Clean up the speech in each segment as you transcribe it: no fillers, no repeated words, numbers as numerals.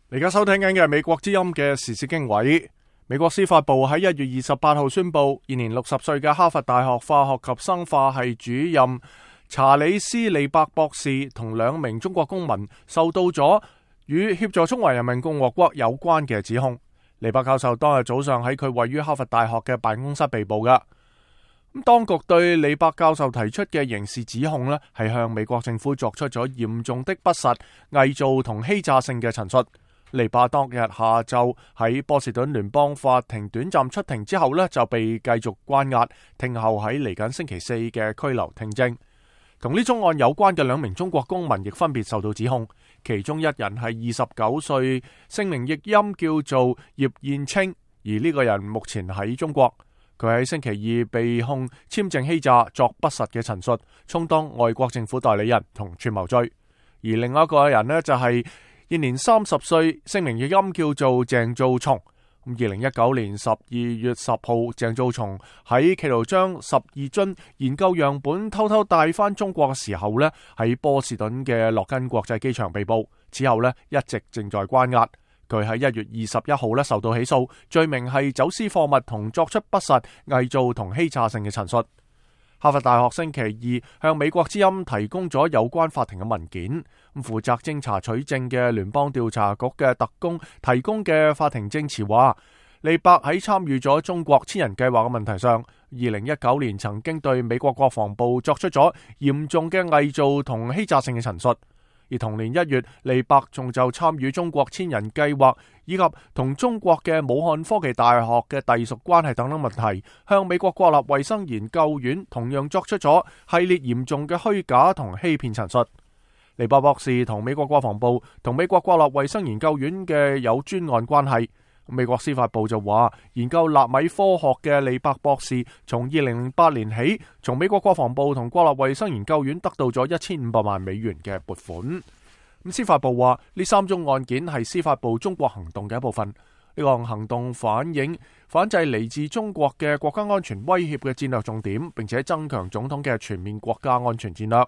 而家收聽緊嘅係美國之音嘅時事經緯。美國司法部喺1月28號宣布，現年60歲嘅哈佛大學化學及生化系主任查理斯利伯博士同2名中國公民受到咗與協助中華人民共和國有關嘅指控。利伯教授當日早上喺佢位於哈佛大學嘅辦公室被捕㗎。當局對利伯教授提出嘅刑事指控呢，係向美國政府作出咗嚴重的不實、偽造同欺詐性嘅陳述。利伯當日下晝喺波士頓聯邦法庭短暫出庭之後呢，就被繼續關押，聽候喺嚟緊星期四嘅拘留聽證。同呢宗案有關嘅2名中國公民亦分別受到指控，其中一人係29歲，姓名譯音叫做葉燕青，而呢個人目前喺中國。佢喺星期二被控簽證欺詐、作不實嘅陳述，充當外國政府代理人同串謀罪。而另外一個人呢，就係現年30歲，姓名譯音叫做鄭兆松。2019年12月10號，鄭兆松喺企圖將12樽研究樣本偷偷帶返中國嘅時候呢，喺波士頓嘅洛根國際機場被捕，之後呢一直正在關押。佢喺1月21號呢受到起訴，罪名係走私貨物同作出不實、偽造同欺詐性嘅陳述。哈佛大學星期二向美國之音提供咗有關法庭嘅文件。負責偵查取證嘅聯邦調查局嘅特工提供嘅法庭證詞話，利伯喺參與咗中國千人計劃嘅問題上，2019年曾經對美國國防部作出咗嚴重嘅偽造同欺詐性嘅陳述。而同年1月，利伯仲就參與中國千人計劃以及同中國嘅武漢科技大學嘅隸屬關係等等問題，向美國國立衛生研究院同樣作出咗系列嚴重嘅虛假同欺騙陳述。利伯博士同美國國防部同美國國立衛生研究院嘅有專案關係。美國司法部就話，研究納米科學嘅利伯博士從2008年起，從美國國防部同國立衛生研究院得到咗1500萬美元嘅撥款。司法部話，呢3宗案件係司法部中國行動嘅一部分。呢項行動反映反制嚟自中國嘅國家安全威脅嘅戰略重點，並且增強總統嘅全面國家安全戰略。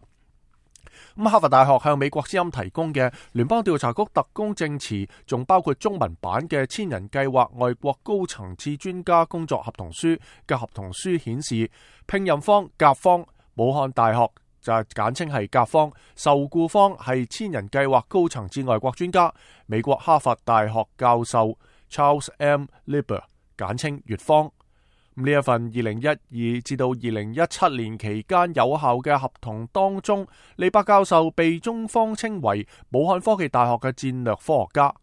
哈佛大學向美國之音提供嘅聯邦調查局特工證詞，仲包括中文版嘅千人計劃外國高層次專家工作合同書嘅合同書顯示，聘任方甲方武漢大學就簡稱係甲方，受僱方係千人計劃高層次外國專家美國哈佛大學教授 Charles M. Lieber， 簡稱乙方。呢一份2012至到2017年期間有效嘅合同當中，利伯教授被中方稱為武漢科技大學嘅戰略科學家。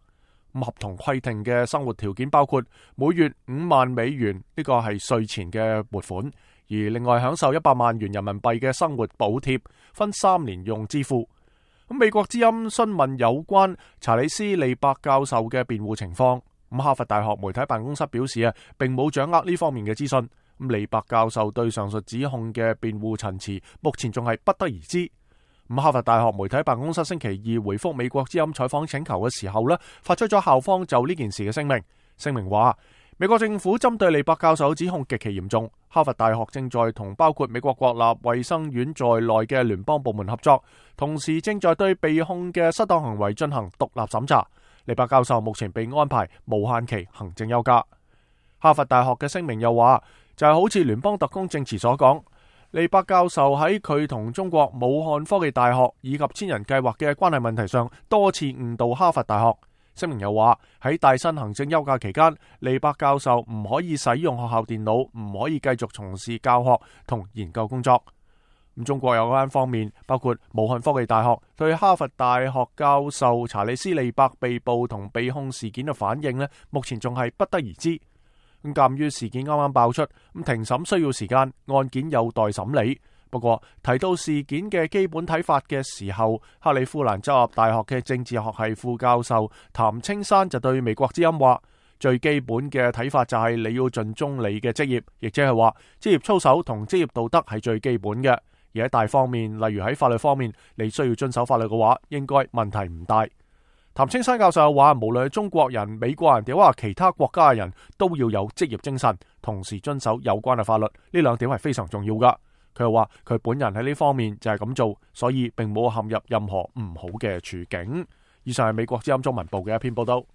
合同規定嘅生活條件包括每月5萬美元，呢個係稅前嘅撥款，而另外享受100萬元人民幣嘅生活補貼，分3年用支付。美國之音詢問有關查理斯利伯教授嘅辯護情況。哈佛大學媒體辦公室表示並冇掌握呢方面嘅資訊。利伯教授對上述指控嘅辯護陳詞目前仲係不得而知。哈佛大學媒體辦公室星期二回覆美國之音採訪請求嘅時候發出咗校方就呢件事嘅聲明。聲明話，美國政府針對利伯教授指控極其嚴重，哈佛大學正在同包括美國國立衛生院在內嘅聯邦部門合作，同時正在對被控嘅失當行為進行獨立審查。利伯教授目前被安排無限期行政休假。哈佛大學嘅聲明又話，就係好似聯邦特工證詞所講，利伯教授喺佢同中國武漢科技大學以及千人計劃嘅關係問題上多次誤導哈佛大學。聲明又話，喺帶薪行政休假期間，利伯教授唔可以使用學校電腦，唔可以繼續從事教學同研究工作。中國有關方面，包括武漢科技大學對哈佛大學教授查理斯利伯被捕同被控事件嘅反應目前仲係不得而知。鑒於事件啱啱爆出，庭審需要時間，案件有待審理。不過提到事件嘅基本睇法嘅時候，克里夫蘭州立大學嘅政治學系副教授譚青山就對美國之音話，最基本嘅睇法就係你要盡忠你嘅職業，亦即係話職業操守同職業道德係最基本嘅。而喺大方面，例如喺法律方面，你需要遵守法律嘅話，應該問題唔大。譚青山教授又話，無論係中國人、美國人，定或其他國家嘅人都要有職業精神，同時遵守有關嘅法律，呢2點係非常重要噶。佢又話佢本人喺呢方面就係咁做，所以並冇陷入任何唔好嘅處境。以上係美國之音中文部嘅一篇報道。